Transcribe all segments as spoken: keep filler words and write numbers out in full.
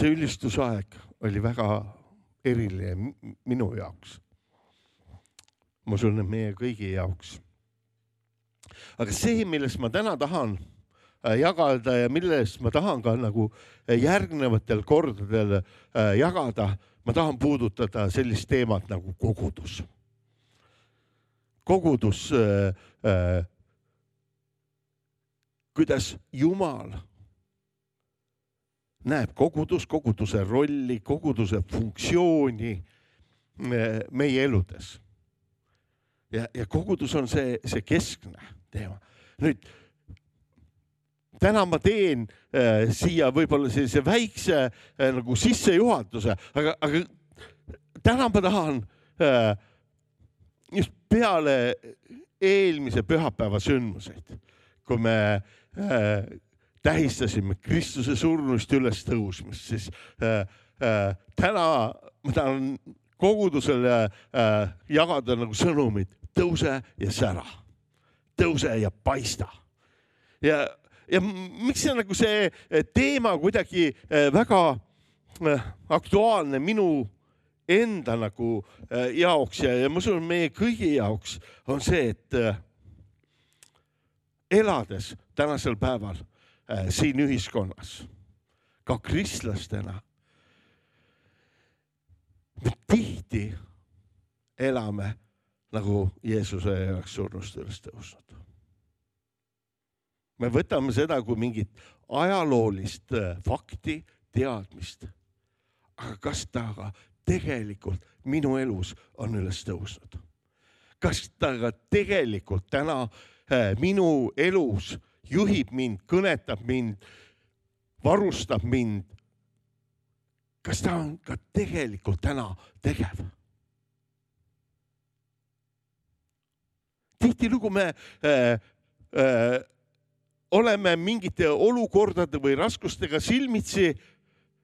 see ülistusaeg oli väga eriline minu jaoks. Ma usun, et meie kõigi jaoks. Aga see, millest ma täna tahan jagada ja millest ma tahan ka nagu järgnevatel kordadel jagada, ma tahan puudutada sellist teemat nagu kogudus. Kogudus, kuidas Jumal näeb kogudus, koguduse rolli, koguduse funktsiooni meie eludes. Ja, ja kogudus on see, see keskne teema. Nüüd, täna ma teen äh, siia võib-olla sellise väikse äh, nagu sissejuhatuse, aga, aga täna ma tahan äh, just peale eelmise pühapäeva sündmuseid, kui me äh, tähistasime Kristuse surnust üles tõusmist, siis äh, äh, täna ma tahan kogudusele äh, jagada nagu sõnumid, tõuse ja sära, tõuse ja paista. Ja, ja miks see, nagu see teema kuidagi väga aktuaalne minu enda nagu jaoks ja, ja ma usun, meie kõigi jaoks on see, et elades tänasel päeval siin ühiskonnas, ka kristlastena, me tihti elame nagu Jeesuse jaoks surnust üles tõusnud. Me võtame seda kui mingit ajaloolist fakti, teadmist. Aga kas ta aga tegelikult minu elus on üles tõusnud? Kas ta aga tegelikult täna minu elus juhib mind, kõnetab mind, varustab mind? Kas ta on ka tegelikult täna tegev? Tihtilugu me äh, äh, oleme mingite olukordade või raskustega silmitsi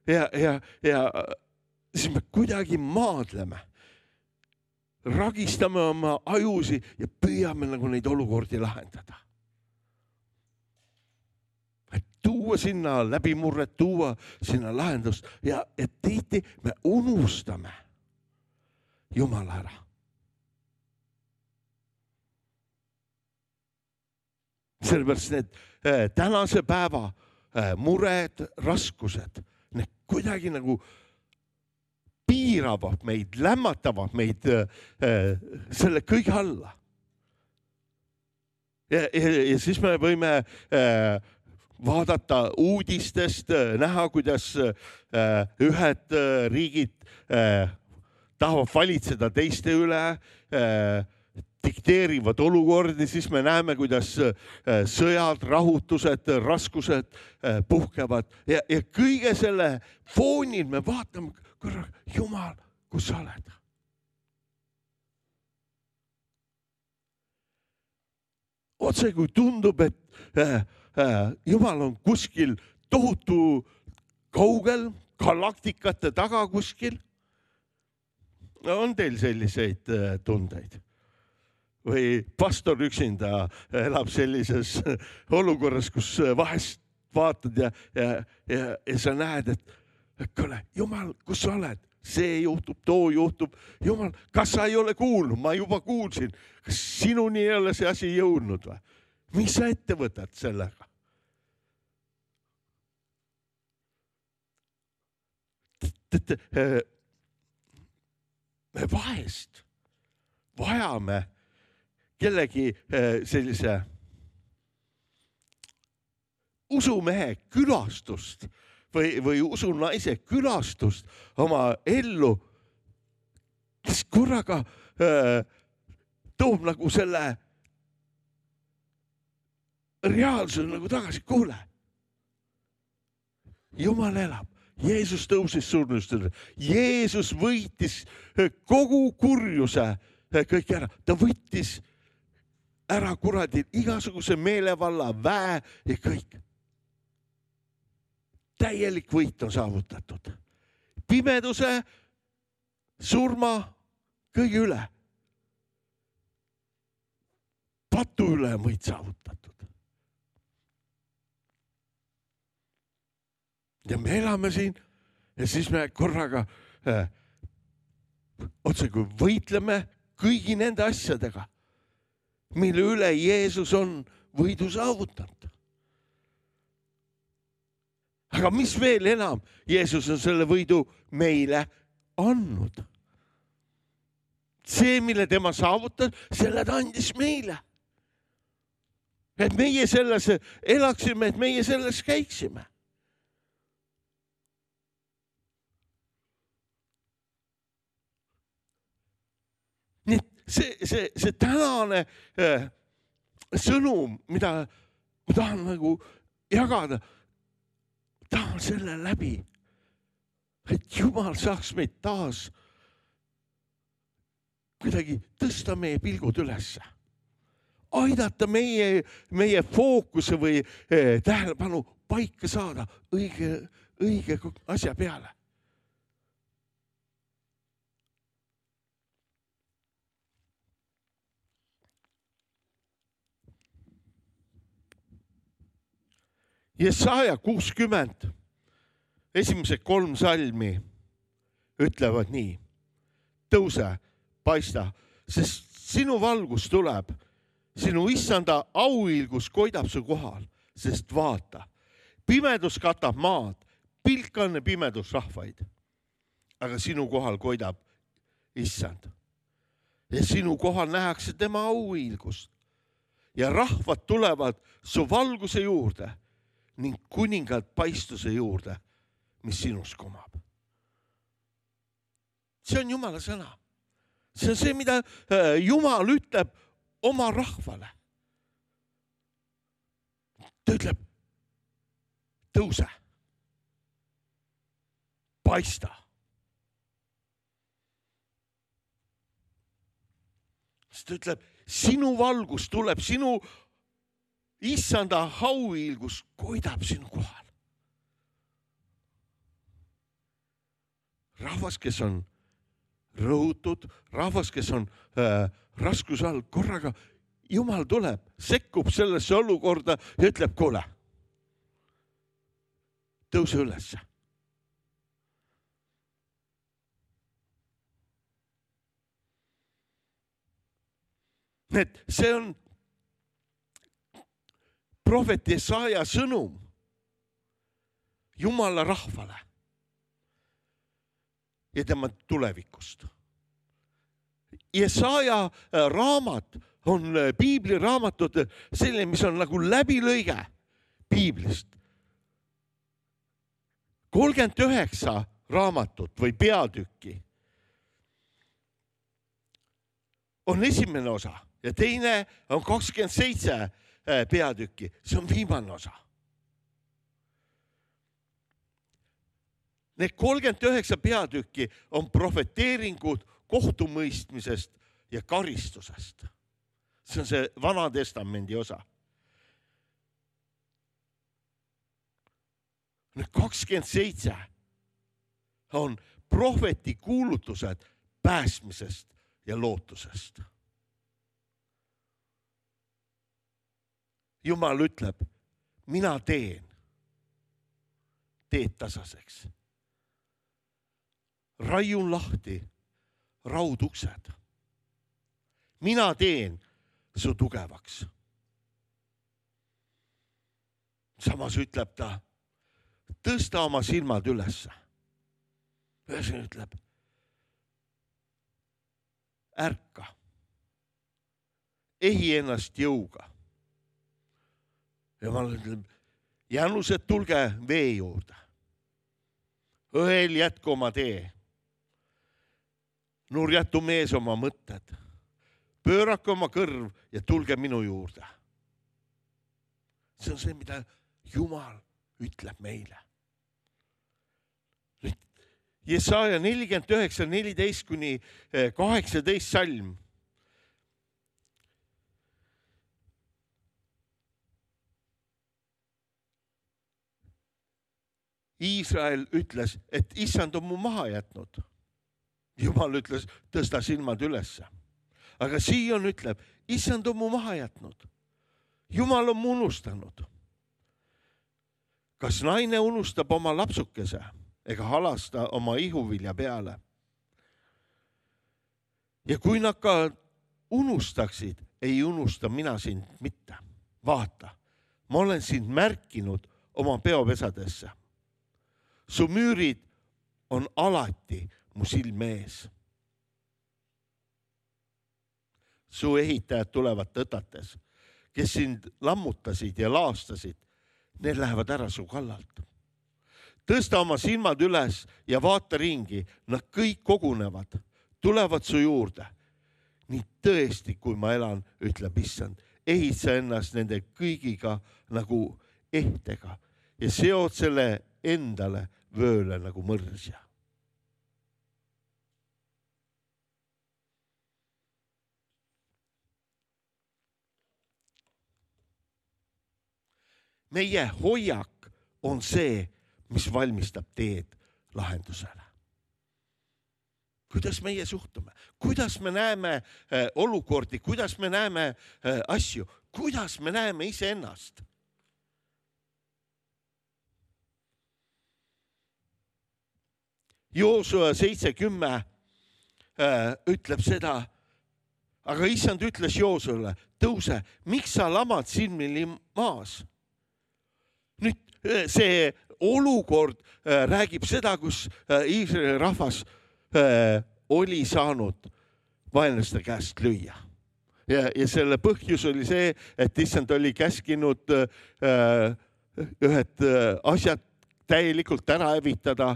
ja, ja, ja siis me kuidagi maadleme. Ragistame oma ajusi ja püüame nagu neid olukordi lahendada. Et tuua sinna läbimurret, tuua sinna lahendust ja et tihti me unustame Jumala ära. Sellepärast need äh, tänase päeva äh, mured, raskused, need kuidagi nagu piiravad meid, lämmatavad meid äh, selle kõige alla. Ja, ja, ja siis me võime äh, vaadata uudistest, äh, näha, kuidas äh, ühed äh, riigid äh, tahavad valitseda teiste üle, äh, dikteerivad olukordi, siis me näeme, kuidas sõjad, rahutused, raskused puhkevad. Ja, ja kõige selle foonil me vaatame, korra, Jumal, kus sa oled? Otse kui tundub, et Jumal on kuskil tohutu kaugel, galaktikate taga kuskil. On teil selliseid tundeid? Või pastor üksinda elab sellises olukorras, kus vahest vaatad ja, ja, ja, ja sa näed, et kuule, Jumal, kus sa oled? See juhtub, too juhtub. Jumal, kas sa ei ole kuulnud? Ma juba kuulsin. Kas sinuni ei ole see asi jõudnud või? Mis sa ette võtad sellega? Me vahest vajame kellegi sellise usumehe külastust või, või usunaise külastust oma ellu, kes korraga äh, toob nagu selle reaalsuse nagu tagasi. Kuule, Jumal elab. Jeesus tõusis surnust. Jeesus võitis kogu kurjuse kõik ära. Ta võttis ära kuradi igasuguse meelevalla, väe ja kõik. Täielik võit on saavutatud. Pimeduse, surma, kõige üle. Patu üle on võit saavutatud. Ja me elame siin ja siis me korraga äh, otse kui võitleme kõigi nende asjadega, mille üle Jeesus on võidu saavutanud. Aga mis veel enam, Jeesus on selle võidu meile andnud. See, mille tema saavutas, selle ta andis meile. Et meie selles elaksime, et meie selles käiksime. Nii et see, see, see tänane äh, sõnum, mida ma tahan nagu jagada, tahan selle läbi, et Jumal saaks meid taas kuidagi tõsta meie pilgud ülesse. Aidata meie, meie fookuse või eh, tähelepanu paika saada õige, õige asja peale. Jesaja kuuskümmend, esimesed kolm salmi ütlevad nii. Tõuse, paista, sest sinu valgus tuleb, sinu issanda auilgus koidab su kohal, sest vaata, pimedus katab maad, pilkanne pimedus rahvaid, aga sinu kohal koidab issand. Ja sinu kohal nähakse tema auilgust ja rahvad tulevad su valguse juurde ning kuningad paistuse juurde, mis sinus komab. See on Jumala sõna. See on see, mida Jumal ütleb oma rahvale. Ta ütleb, tõuse, paista. Ta ütleb, sinu valgus tuleb, sinu issanda auilgus koidab sinu kohal. Rahvas, kes on rõhutud, rahvas, kes on äh, raskuse all, korraga Jumal tuleb, sekkub sellesse olukorda ja ütleb, kuule, tõuse ülesse. Et see on prohvet Jesaja sõnum Jumala rahvale ja tema tulevikust. Jesaja raamat on Piibli raamatud selline, mis on nagu läbilõige Piiblist. kolmkümmend üheksa raamatut või peatükki on esimene osa ja teine on kakskümmend seitse peatükki. See on viimane osa. Need kolmkümmend üheksa peatükki on profeteeringud kohtumõistmisest ja karistusest. See on see Vana Testamendi osa. Nüüd kakskümmend seitse on prohveti kuulutused päästmisest ja lootusest. Jumal ütleb, mina teen teed tasaseks. Raiun lahti rauduksed. Mina teen su tugevaks. Samas ütleb ta, tõsta oma silmad ülesse. Ühesõnaga ütleb, ärka, ehi ennast jõuga. Jumal ütleb, jänused, tulge vee juurde. Õel jätku oma tee. Nurjatu mees oma mõtted. Pöörake oma kõrv ja tulge minu juurde. See on see, mida Jumal ütleb meile. Nüüd Jesaja nelikümmend üheksa, neliteist kuni kaheksateist salm. Iisrael ütles, et issand on mu maha jätnud. Jumal ütles, tõsta silmad ülesse. Aga Sion ütleb, issand on mu maha jätnud. Jumal on mu unustanud. Kas naine unustab oma lapsukese, ega halasta oma ihuvilja peale. Ja kui nad ka unustaksid, ei unusta mina sind mitte. Vaata, ma olen sind märkinud oma peopesadesse. Su müürid on alati mu silme ees. Su ehitajad tulevad tõtates, kes sind lammutasid ja laastasid, need lähevad ära su kallalt. Tõsta oma silmad üles ja vaata ringi, nad kõik kogunevad, tulevad su juurde. Nii tõesti, kui ma elan, ütleb issand, ehitsa ennast nende kõigiga nagu ehtega ja seod selle endale vööle nagu mõrsja. Meie hoiak on see, mis valmistab teed lahendusele. Kuidas meie suhtume, kuidas me näeme äh, olukordi, kuidas me näeme äh, asju, kuidas me näeme iseennast. Joosua seitse kümme äh, ütleb seda, aga issand ütles Joosuale, tõuse, miks sa lamad silmili maas? Nüüd see olukord äh, räägib seda, kus äh, Iisraeli rahvas oli saanud vaenlaste käest lüüa. Ja, ja selle põhjus oli see, et issand oli käskinud äh, ühed asjad täielikult ära hävitada,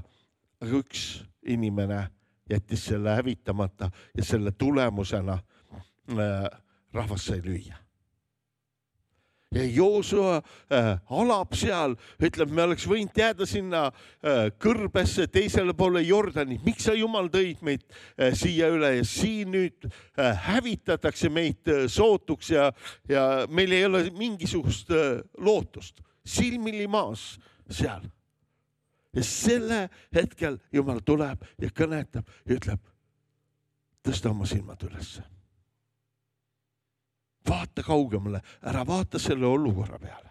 aga üks inimene jättis selle hävitamata ja selle tulemusena äh, rahvas sai lüüa. Ja Joosua äh, alab seal, ütleb, me oleks võinud jääda sinna äh, kõrbesse teisele poole Jordani. Miks sa Jumal tõid meid äh, siia üle ja siin nüüd äh, hävitatakse meid äh, sootuks ja, ja meil ei ole mingisugust äh, lootust. Silmili maas seal. Ja selle hetkel Jumal tuleb ja kõnetab ja ütleb, tõsta oma silmad ülesse. Vaata kaugemale, ära vaata selle olukorra peale.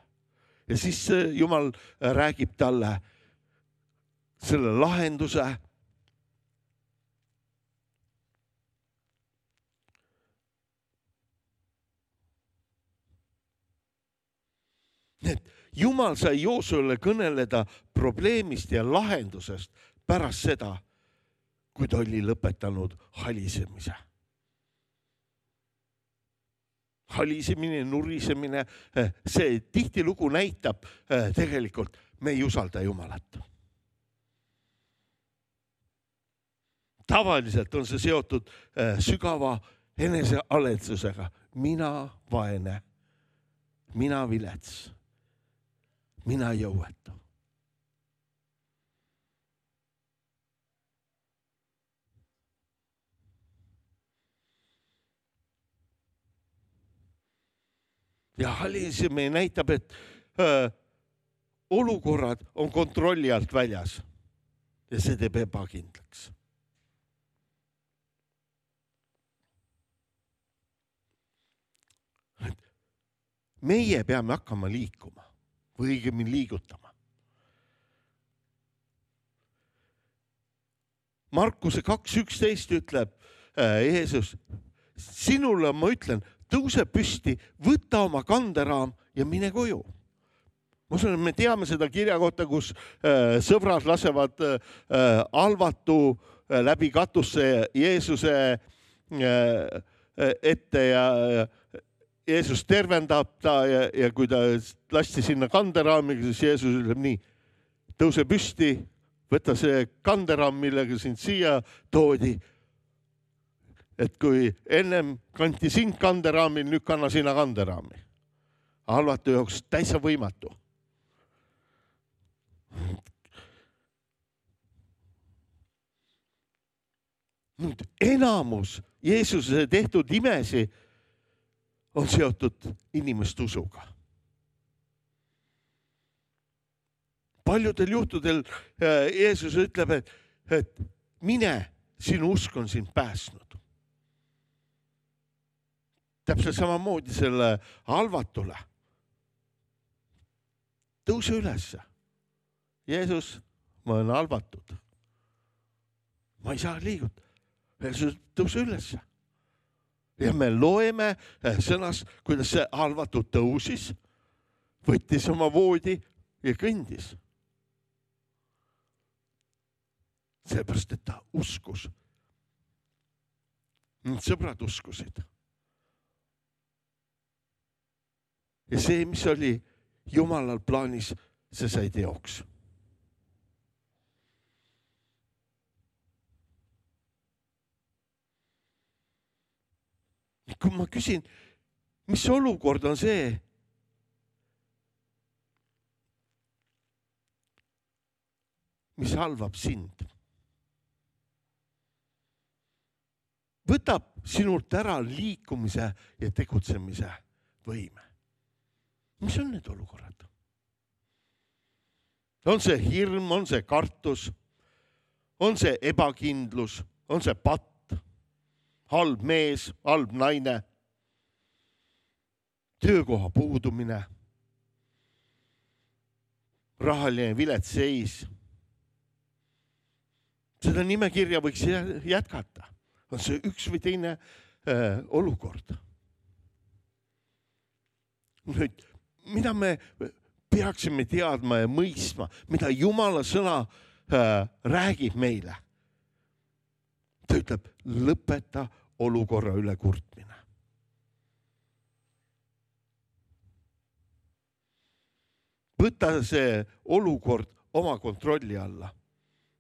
Ja siis Jumal räägib talle selle lahenduse. Need Jumal sai Joosuale kõneleda probleemist ja lahendusest pärast seda, kui ta oli lõpetanud halisemise. Halisemine, nurisemine, see tihtilugu näitab tegelikult, me ei usalda Jumalat. Tavaliselt on see seotud sügava enesealetsusega. Mina vaene, mina vilets, mina jõuetu. Ja halisemine näitab, et öö, olukorrad on kontrolli alt väljas ja see teeb ebakindlaks. Meie peame hakkama liikuma või õigemini liigutama. Markuse kaks üksteist ütleb äh, Jeesus, sinule ma ütlen, tõuse püsti, võta oma kanderaam ja mine koju. Ma usun, et me teame seda kirja kohta, kus äh, sõbrad lasevad äh, alvatu äh, läbi katusse Jeesuse äh, ette ja äh, Jeesus tervendab ta ja, ja kui ta lasti sinna kanderaamiga, siis Jeesus ütleb nii, tõuse püsti, võta see kanderaam, millega sind siia toodi. Et kui ennem kanti sind kanderaamil, nüüd kanna sina kanderaami. Halvatu jaoks täitsa võimatu. Nüüd enamus Jeesuse tehtud imesi on seotud inimeste usuga. Paljudel juhtudel Jeesus ütleb, et, et mine, sinu usk on sind päästnud. Täpselt samamoodi selle halvatule. Tõuse ülesse. Jeesus, ma olen halvatud. Ma ei saa liiguda. Tõuse üles. Ja me loeme sõnas, kuidas see halvatud tõusis, võttis oma voodi ja kõndis. Seepärast, et ta uskus. Sõbrad uskusid. Ja see, mis oli Jumalal plaanis, see sai teoks. Kui ma küsin, mis olukord on see, mis halvab sind? Võtab sinult ära liikumise ja tegutsemise võime. Mis on need olukorrad? On see hirm, on see kartus, on see ebakindlus, on see patt, halb mees, halb naine, töökoha puudumine, rahaline vilets seis. Seda nimekirja võiks jätkata. On see üks või teine äh, olukord. Nüüd, mida me peaksime teadma ja mõistma, mida Jumala sõna äh, räägib meile? Ta ütleb, lõpeta olukorra üle kurtmine. Võta see olukord oma kontrolli alla.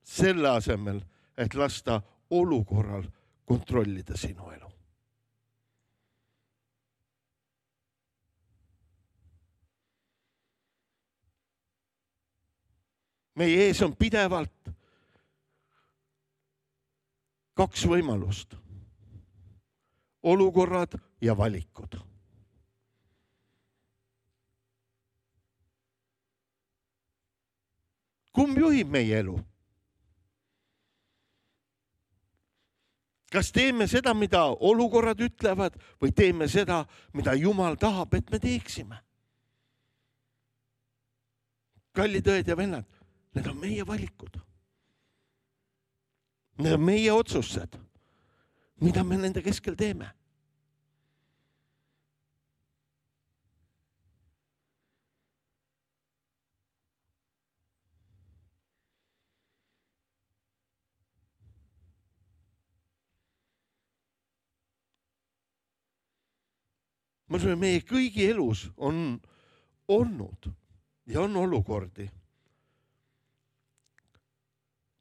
Selle asemel, et lasta olukorral kontrollida sinu elu. Meie ees on pidevalt kaks võimalust. Olukorrad ja valikud. Kumb juhib meie elu? Kas teeme seda, mida olukorrad ütlevad, või teeme seda, mida Jumal tahab, et me teeksime? Kallid õed ja vennad, need on meie valikud. Need on meie otsused, mida me nende keskel teeme. Ma ütlen, meie kõigi elus on olnud ja on olukordi,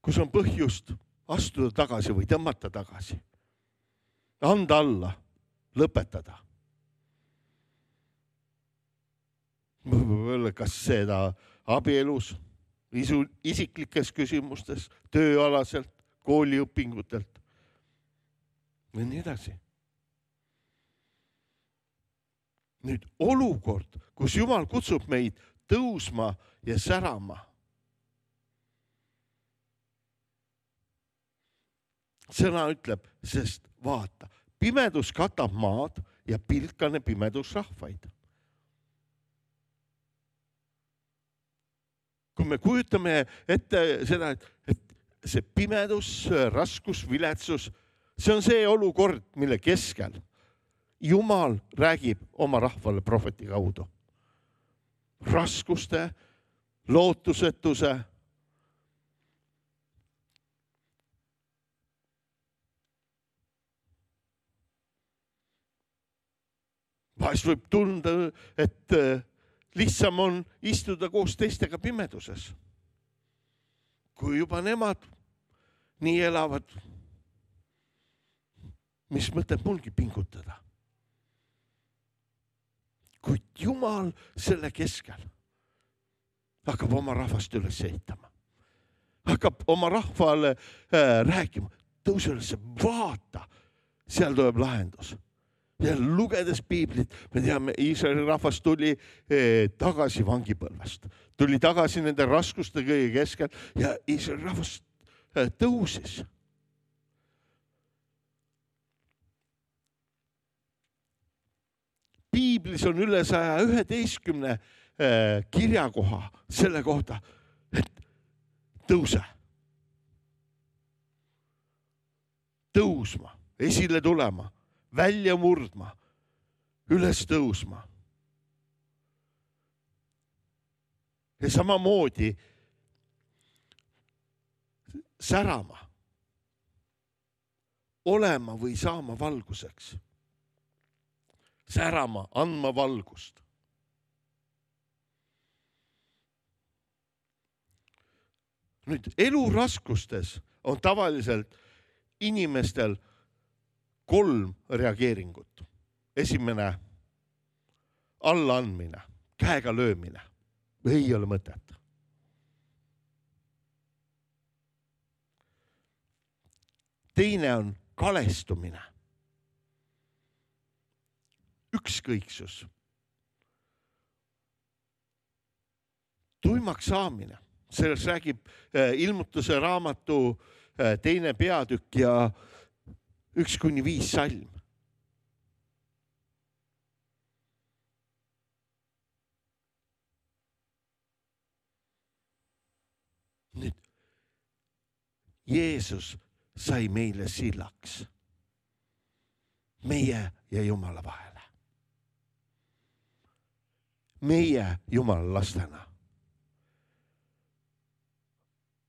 kus on põhjust astuda tagasi või tõmmata tagasi. Anda alla, lõpetada. Kas seda abielus, isiklikes küsimustes, tööalaselt, kooliõpingutelt või nii edasi. Nüüd olukord, kus Jumal kutsub meid tõusma ja särama. Sõna ütleb, sest vaata, pimedus katab maad ja pilkane pimedus rahvaid. Kui me kujutame ette seda, et see pimedus, raskus, viletsus, see on see olukord, mille keskel Jumal räägib oma rahvale prohveti kaudu. Raskuste, lootusetuse. Vahest võib tunda, et lihtsam on istuda koos teistega pimeduses. Kui juba nemad nii elavad, mis mõtleb mulgi pingutada. Kuid Jumal selle keskel hakkab oma rahvast üles ehitama. Hakkab oma rahvale äh, rääkima, tõuse üles, vaata, seal tuleb lahendus. Ja lugedes piiblit, me teame, Iisraeli rahvas tuli eh, tagasi vangipõlvest. Tuli tagasi nende raskuste kõige keskel ja Iisraeli rahvas eh, tõusis. Piiblis on üle saja üheteistkümne kirjakoha selle kohta, et tõuse. Tõusma, esile tulema, välja murdma, üles tõusma. Ja samamoodi särama, olema või saama valguseks. Särama, andma valgust. Nüüd eluraskustes on tavaliselt inimestel kolm reageeringut. Esimene, allaandmine, käega löömine. Ei ole mõtet. Teine on kalestumine. Ükskõiksus. Tuimaks saamine. Selles räägib ilmutuse raamatu teine peatükk ja üks kuni viis salm. Nüüd, Jeesus sai meile sillaks. Meie ja Jumala vahele. Meie Jumala lastena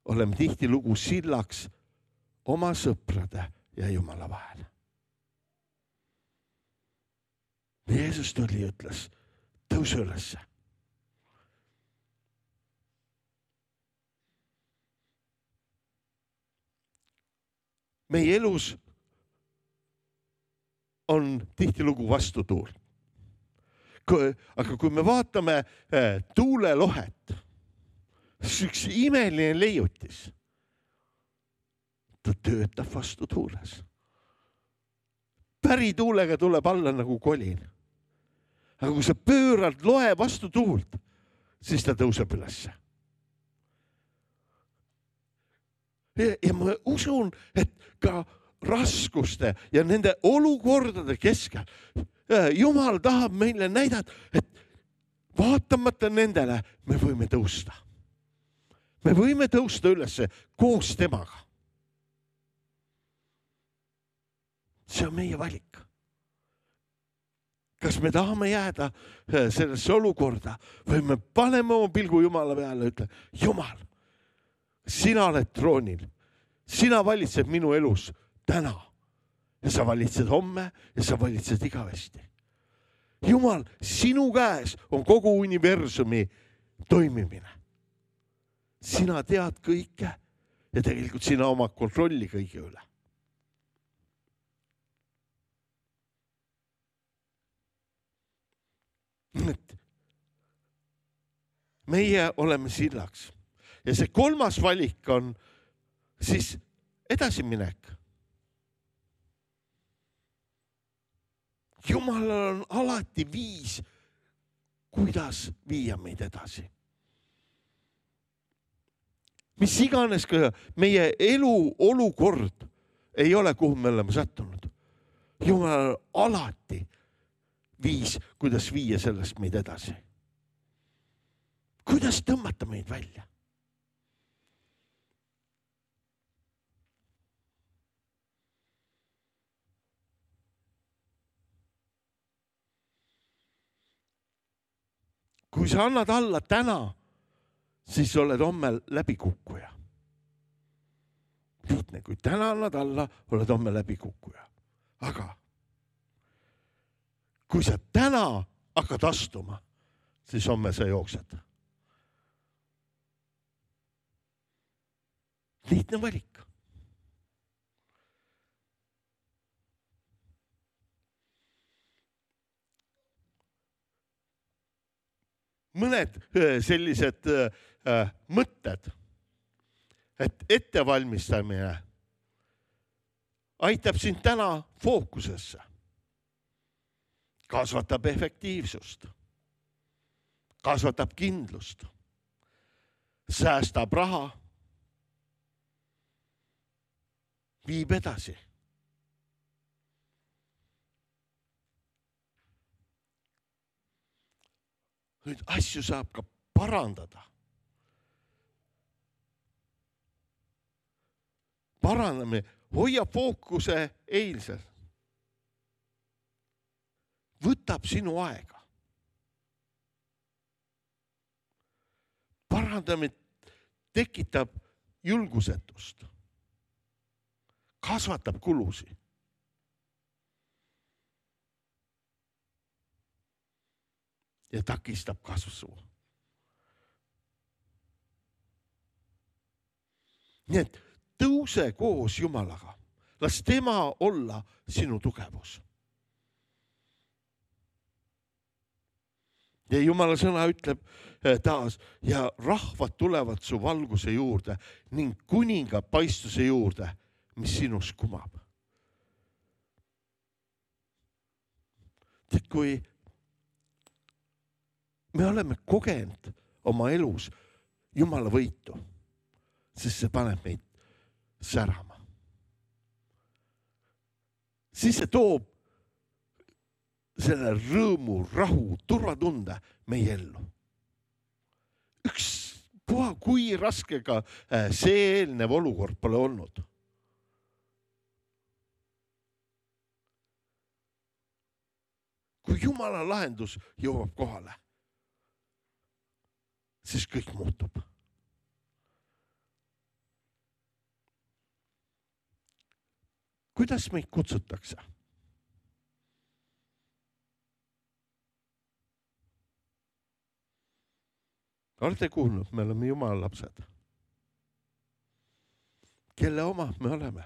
oleme tihtilugu sillaks oma sõprade ja Jumala vahele. Jeesus tuli ja ütles, tõuse ülesse. Meie elus on tihtilugu vastutuul. Aga kui me vaatame tuulelohet, siis üks imeline leiutis. Ta töötab vastu tuules. Pärituulega tuleb alla nagu kolin. Aga kui sa pöörad loe vastu tuult, siis ta tõuseb ülesse. Ja ma usun, et ka raskuste ja nende olukordade keskel Jumal tahab meile näidata, et vaatamata nendele me võime tõusta. Me võime tõusta ülesse koos temaga. See on meie valik. Kas me tahame jääda sellesse olukorda või me paneme oma pilgu Jumala peale ja ütleme, Jumal, sina oled troonil, sina valitsed minu elus täna ja sa valitsed homme ja sa valitsed igavesti. Jumal, sinu käes on kogu universumi toimimine. Sina tead kõike ja tegelikult sina oma kontrolli kõige üle. Meie oleme sillaks. Ja see kolmas valik on siis edasiminek. Jumalal on alati viis, kuidas viia meid edasi. Mis iganes ka meie elu olukord ei ole, kuhu me oleme sattunud. Jumalal on alati viis, kuidas viia sellest meid edasi. Kuidas tõmmata meid välja? Kui sa annad alla täna, siis oled homme läbikukkuja. Lihtne, kui täna annad alla, oled homme läbikukkuja. Aga kui sa täna hakkad astuma, siis homme sa jooksed. Lihtne valik. Mõned sellised äh, mõtted, et ettevalmistamine aitab sind täna fookusesse, kasvatab efektiivsust, kasvatab kindlust, säästab raha, viib edasi. Nüüd asju saab ka parandada. paraneme, hoia fookuse eilsel. Võtab sinu aega. Parandamine tekitab julgusetust. Kasvatab kulusi. Ja takistab kasvu. Nii et tõuse koos Jumalaga. Las tema olla sinu tugevus. Ja Jumala sõna ütleb taas, ja rahvad tulevad su valguse juurde ning kuninga paistuse juurde, mis sinus kumab. Tead, kui me oleme kogenud oma elus Jumala võitu, siis see paneb meid särama. Siis see toob selle rõõmu, rahu, turvatunde meie ellu. Üks puha, kui raskega see eelnev olukord pole olnud. Kui Jumala lahendus jõuab kohale, siis kõik muutub. Kuidas meid kutsutakse? Olete kuulnud, me oleme Jumala lapsed. Kelle omad me oleme?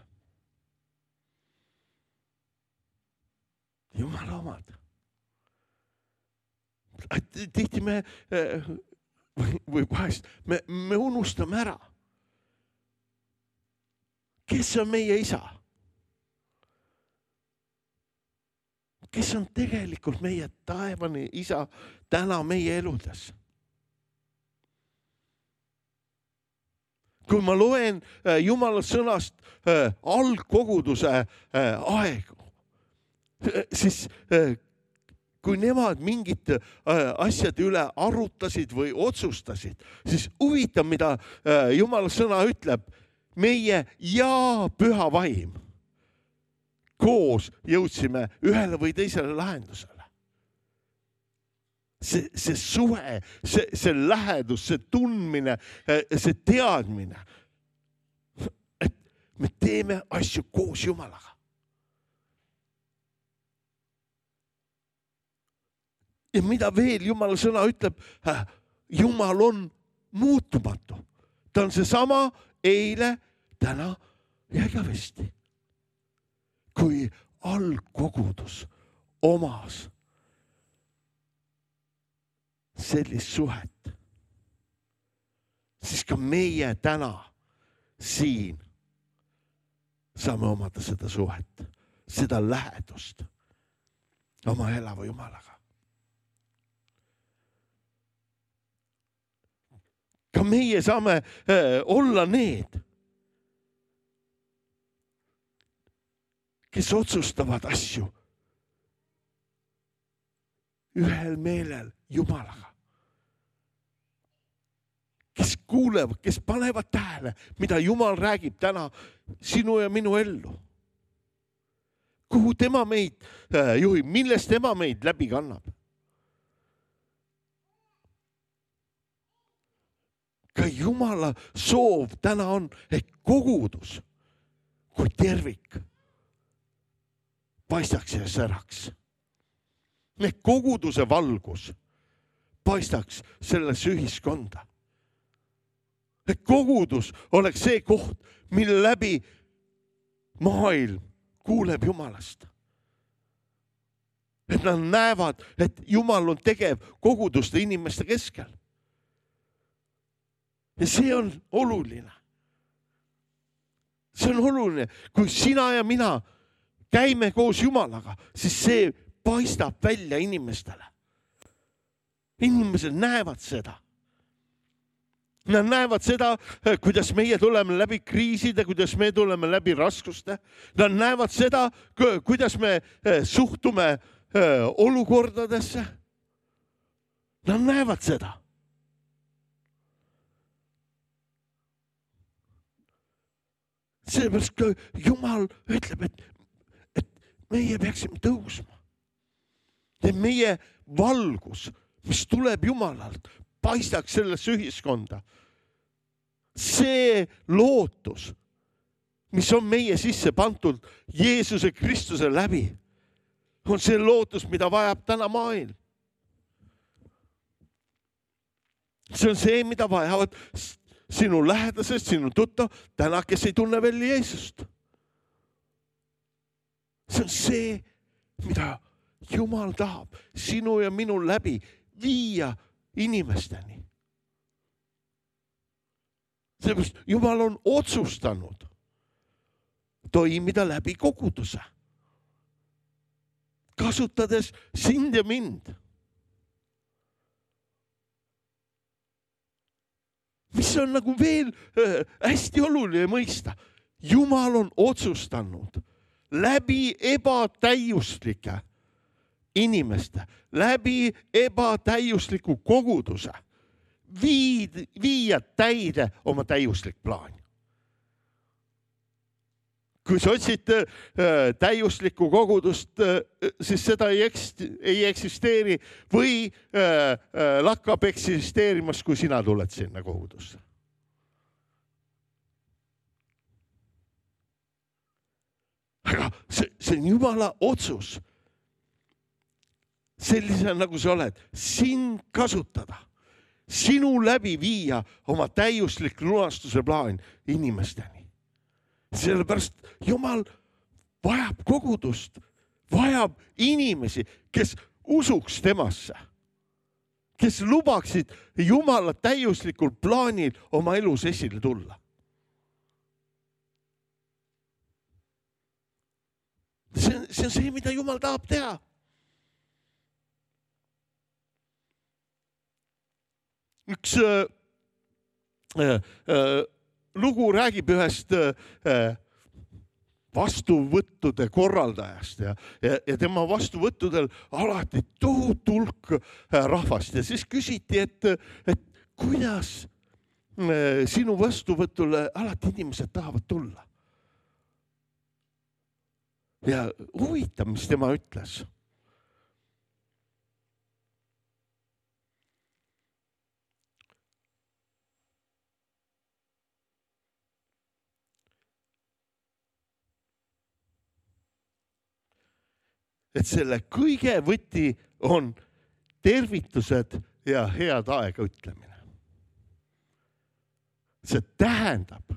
Jumala omad. Tihti me, või vahest, me, me unustame ära. Kes on meie isa? Kes on tegelikult meie taevani isa täna meie eludes? Kui ma loen Jumala sõnast algkoguduse aegu, siis kui nemad mingid asjad üle arutasid või otsustasid, siis huvitav, mida Jumala sõna ütleb, meie ja püha vaim koos jõudsime ühele või teisele lahendusele. See, see suhe, see, see lähedus, see tundmine, see teadmine, et me teeme asju koos Jumalaga. Ja mida veel Jumala sõna ütleb, Jumal on muutumatu. Ta on see sama eile, täna ja igavesti. Kui algkogudus omas sellist suhet, siis ka meie täna siin saame omada seda suhet, seda lähedust oma elava Jumalaga. Ka meie saame olla need, kes otsustavad asju ühel meelel Jumalaga. Kes kuulevad, kes panevad tähele, mida Jumal räägib täna sinu ja minu ellu. Kuhu tema meid juhib, millest tema meid läbi kannab. Ka Jumala soov täna on, et kogudus kui tervik paistaks ja säraks. Et koguduse valgus paistaks selles ühiskonda. Et kogudus oleks see koht, mille läbi maailm kuuleb Jumalast. Et nad näevad, et Jumal on tegev koguduste inimeste keskel. Ja see on oluline. See on oluline. Kui sina ja mina käime koos Jumalaga, siis see paistab välja inimestele. Inimesed näevad seda. Nad näevad seda, kuidas meie tuleme läbi kriiside, kuidas me tuleme läbi raskuste. Nad näevad seda, kuidas me suhtume olukordadesse. Nad näevad seda. Sellepärast ka Jumal ütleb, et, et meie peaksime tõusma. Et meie valgus, mis tuleb Jumalalt, paistaks sellesse ühiskonda. See lootus, mis on meie sisse pandud Jeesuse Kristuse läbi, on see lootus, mida vajab täna maailm. See on see, mida vajavad sinu lähedased, sinu tuttav, täna, kes ei tunne veel Jeesust. See on see, mida Jumal tahab sinu ja minu läbi viia inimesteni. Seepärast Jumal on otsustanud toimida läbi koguduse, kasutades sind ja mind. Mis on nagu veel hästi oluline mõista. Jumal on otsustanud läbi ebatäiuslike inimeste, läbi ebatäiusliku koguduse viid, viia täide oma täiuslik plaan. Kui sa otsid äh, täiuslikku kogudust, äh, siis seda ei, ekst, ei eksisteeri või äh, äh, lakkab eksisteerimas, kui sina tuled sinna kogudusse. Aga see, see on Jumala otsus. Sellise nagu sa oled, sind kasutada, sinu läbi viia oma täiuslik lunastuse plaan inimesteni. Sellepärast Jumal vajab kogudust, vajab inimesi, kes usuks temasse, kes lubaksid Jumala täiuslikul plaanil oma elus esile tulla. See on see, on see mida Jumal tahab teha. Üks äh, äh, lugu räägib ühest vastuvõttude korraldajast ja, ja, ja tema vastuvõttudel alati tohutu hulk rahvast. Ja siis küsiti, et, et kuidas sinu vastuvõtule alati inimesed tahavad tulla. Ja huvitav, mis tema ütles. Et selle kõige võti on tervitused ja head aega ütlemine. See tähendab,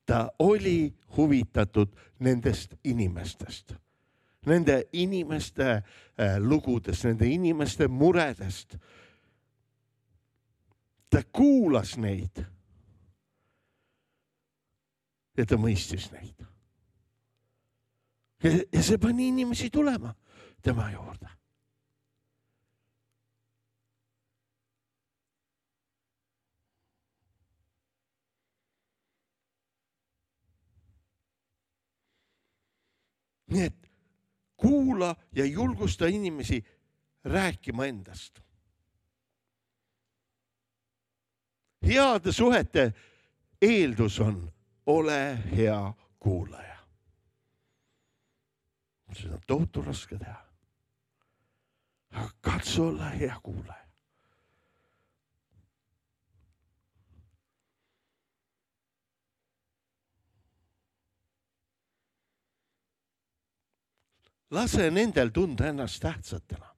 ta oli huvitatud nendest inimestest, nende inimeste lugudest, nende inimeste muredest. Ta kuulas neid ja ta mõistis neid. Ja see pani inimesi tulema tema juurde. Nii et kuula ja julgusta inimesi rääkima endast. Heade suhete eeldus on, ole hea kuulaja. Seda on tohutu raske teha. Aga katsu olla hea kuulaja. Lase nendel tunda ennast tähtsatena.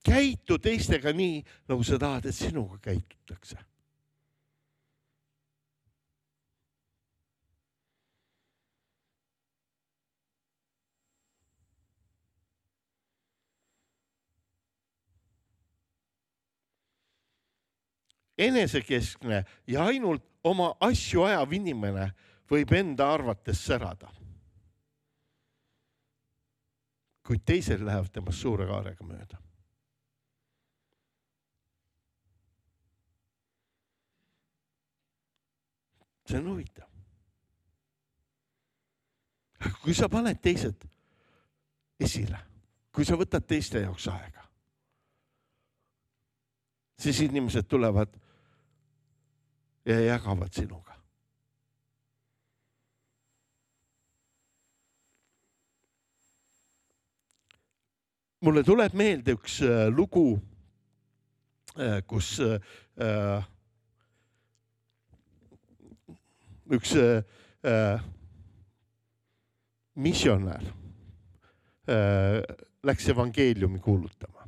Käitu teistega nii, nagu sa tahad, et sinuga käitutakse. Enesekeskne ja ainult oma asju ajav inimene võib enda arvates särada. Kuid teised lähevad temast suure kaarega mööda. See on huvitav. Kui sa paned teised esile, kui sa võtad teiste jaoks aega, siis inimesed tulevad ja jagavad sinuga. Mulle tuleb meelde üks lugu, kus üks missionär läks evangeeliumi kuulutama.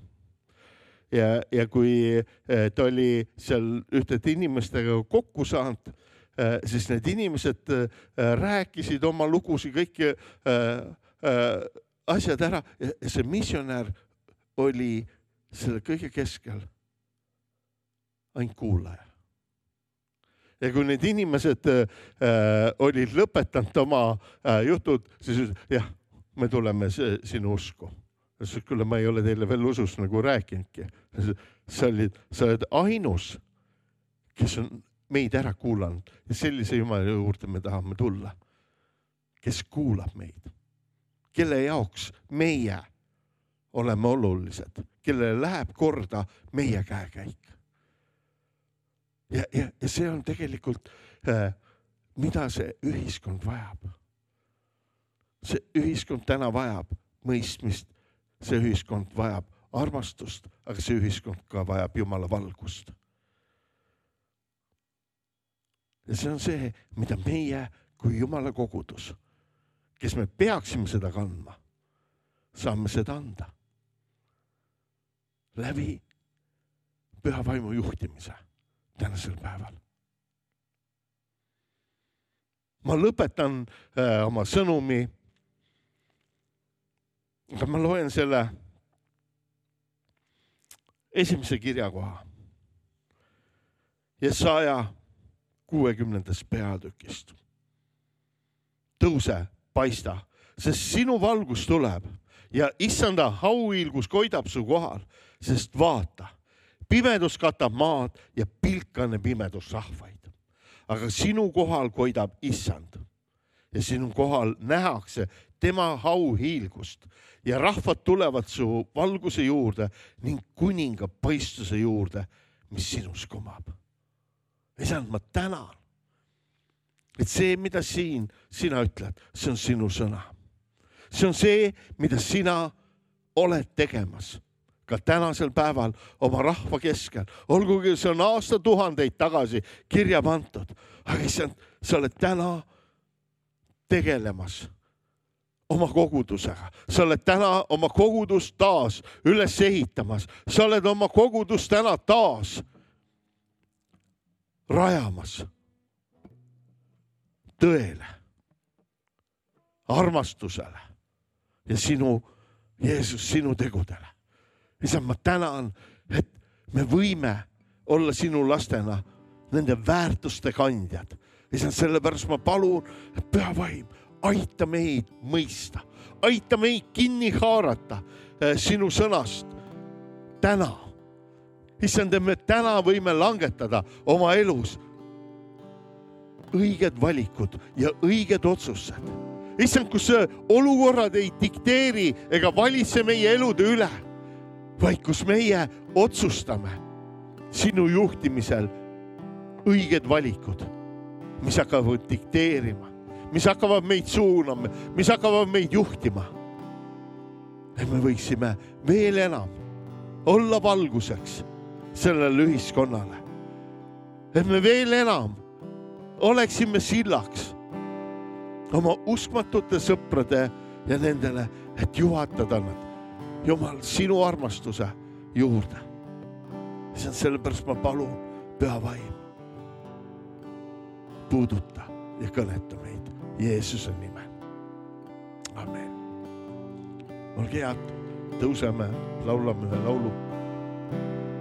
Ja, ja kui ta oli seal ühtede inimestega kokku saanud, siis need inimesed rääkisid oma lugusi kõiki asjad ära ja see missionär oli selle kõige keskel ainult kuulaja. Ja kui need inimesed äh, olid lõpetanud oma äh, jutud, siis ütles, jah, me tuleme see, sinu usku. Siis küll ma ei ole teile veel usus nagu rääkinudki. Sa olid, sa oled ainus, kes on meid ära kuulanud ja sellise Jumala juurde me tahame tulla, kes kuulab meid. Kelle jaoks meie oleme olulised, kellele läheb korda meie käekäik. Ja, ja, ja see on tegelikult, äh, mida see ühiskond vajab. See ühiskond täna vajab mõistmist, see ühiskond vajab armastust, aga see ühiskond ka vajab Jumala valgust. Ja see on see, mida meie kui Jumala kogudus, kes me peaksime seda kandma, saame seda anda läbi püha vaimu juhtimise tänasel päeval. Ma lõpetan äh, oma sõnumi, aga ma loen selle esimese kirjakoha Jesaja kuuekümnendast peatükist. Tõuse, paista, sest sinu valgus tuleb ja issanda hauhiilgus koidab su kohal, sest vaata, pimedus katab maad ja pilkane pimedus rahvaid. Aga sinu kohal koidab issand ja sinu kohal nähakse tema hauhiilgust ja rahvad tulevad su valguse juurde ning kuninga paistuse juurde, mis sinus kumab. Isand, ma tänan, et see, mida siin sina ütled, see on sinu sõna. See on see, mida sina oled tegemas ka tänasel päeval oma rahva keskel. Olgugi see on aasta tuhandeid tagasi kirja pandud, aga issand, sa oled täna tegelemas oma kogudusega. Sa oled täna oma kogudust taas üles ehitamas. Sa oled oma kogudust täna taas rajamas tõele, armastusele ja sinu, Jeesus, sinu tegudele. Isand, ma tänan, et me võime olla sinu lastena nende väärtuste kandjad. Isand, sellepärast ma palun, et püha vaim, aita meid mõista, aita meid kinni haarata sinu sõnast täna. Issand, et me täna võime langetada oma elus õiged valikud ja õiged otsused. Issand, kus olukorrad ei dikteeri ega valitse meie elude üle, vaid kus meie otsustame sinu juhtimisel õiged valikud, mis hakkavad dikteerima, mis hakkavad meid suunama, mis hakkavad meid juhtima. Et me võiksime veel enam olla valguseks sellele ühiskonnale. Et me veel enam oleksime sillaks oma uskmatute sõprade ja nendele, et juhatada nad, Jumal, sinu armastuse juurde. See on sellepärast ma palun, püha vaim, puuduta ja kõneta meid Jeesuse nimel. Amen. Olge head, tõuseme, laulame ühe laulu.